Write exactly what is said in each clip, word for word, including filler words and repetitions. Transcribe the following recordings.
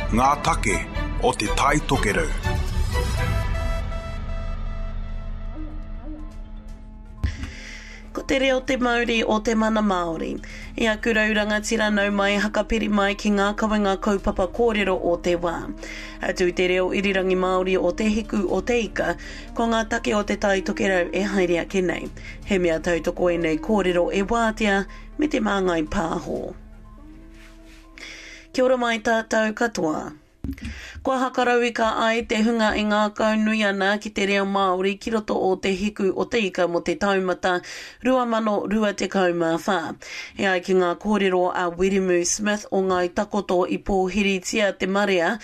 Ngā take o Te Tai Tokerau. Ko te reo te mauri o te mana Māori. I aku rau rangatira nau mai hakapiri mai ki ngā kawenga kaupapa kōrero o te wā. Atu i te reo irirangi Māori o Te Hiku o Te Ika, ko ngā take o Te Tai Tokerau e haere ake nei. He mea tautoko ēnei kōrero e wātea me te Māngai Pāho. Kia ora mai tātou katoa. Kua hakarauika ai te hunga e ngākaunui ana ki te reo Māori ki roto o Te Hiku o Te Ika mō te taumata rua mano rua tekau mā whā. E ai ki ngā kōrero a Wiremu Smith o Ngāi Takoto i pōhiritia te marea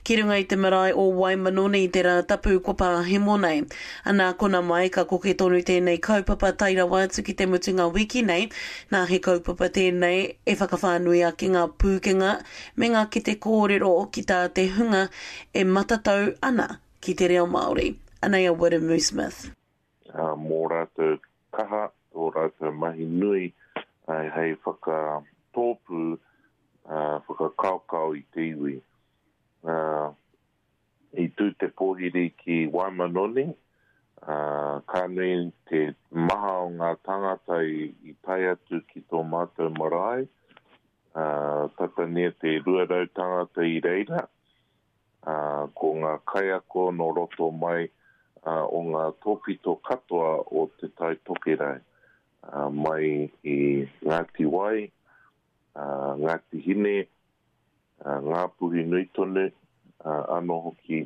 ki runga i te marae o Waimanoni i te Rātapu kua pāhemo nei. Anā kona mai ka koke tonu tēnei kaupapa tae rawa atu ki te mutunga wiki nei, nā he kaupapa tēnei e whakawhānui ake ngā pūkenga me ngā kete kōrero ki tā te hunga e matatau ana ki te reo Māori. Anei a Wiremu Smith. Uh, mō rātou kaha, tō rātou mahi nui uh, hei whakatōpū, uh, whakakaokao i te iwi. Uh, I tū te pōhiri ki Waimanoni, uh, ka nui te maha o ngā tāngata i, i tae atu ki tō mātou marae, uh, tata nei te rua rau tāngata i reira, uh, ko ngā kaiako nō roto mai uh, o ngā tōpito katoa o Te Tai Tokerau, uh, mai i Ngāti Wai, uh, Ngāti Hine, uh, Ngāpuhi nui tonu, uh, anō hoki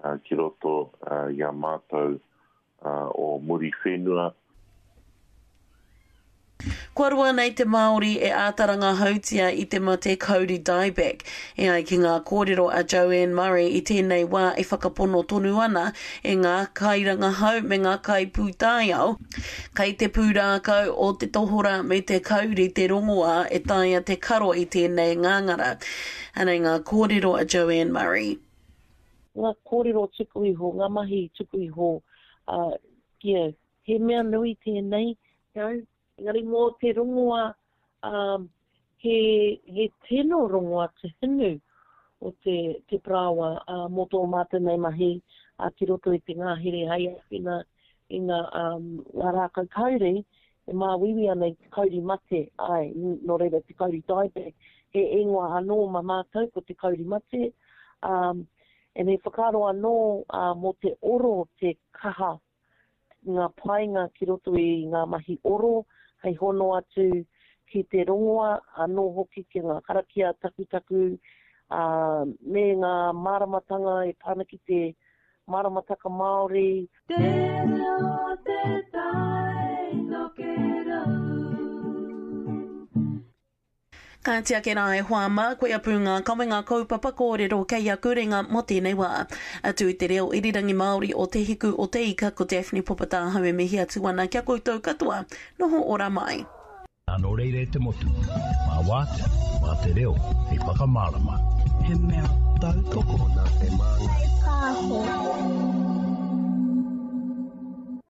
uh, ki roto uh, i a mātou uh, o Muriwhenua. Kua roa nei te Māori e āta rangahautia i te mate kauri dieback. E ai ki ngā kōrero a Joanne Murray i tēnei wā e whakapono tonu ana e ngā kairangahau me ngā kaipūtaiao. Kei te pūrākau o te tohora me te kauri te rongoā e taea te karo i tēnei ngāngara. Anei ngā kōrero a Joanne Murray. Ngā kōrero tuku iho, ngā mahi tuku iho, uh, yeah, he mea nui tēnei, you know, engari mō te rongoa, um, he, he tino rongoa te hinu o te, te parāoa uh, mō tō mātou nei mahi uh, ki roto i te ngāhere hei āwhina i ngā, um, ngā rākau kauri e māuiui ana i te kauri mate, ai, nō reira te kauri dieback, he ingoa anō mā mātou ko te kauri mate, um, and he whakaaro anō uh, mō te oro te kaha ngā painga ki roto i ngā mahi oro, hei hono atu ki te rongoa, anō hoki ki ngā karakia takutaku, uh, me ngā māramatanga e pā ana ki te māramataka Māori. Te reo te tai tokerau. Kāti ake rā e hoa mā, koia pū ngā kawenga kaupapa kōrero kei aku ringa mō tēnei wā. Atu i te reo irirangi Māori o Te Hiku o Te Ika, ko Daphne Popatāhau e mihi atu ana kia koutou katoa. Noho ora mai. Nō reira e te motu, mā wātea, mā te reo, hei whakamārama. He mea tautoko nā te Māngai Pāho.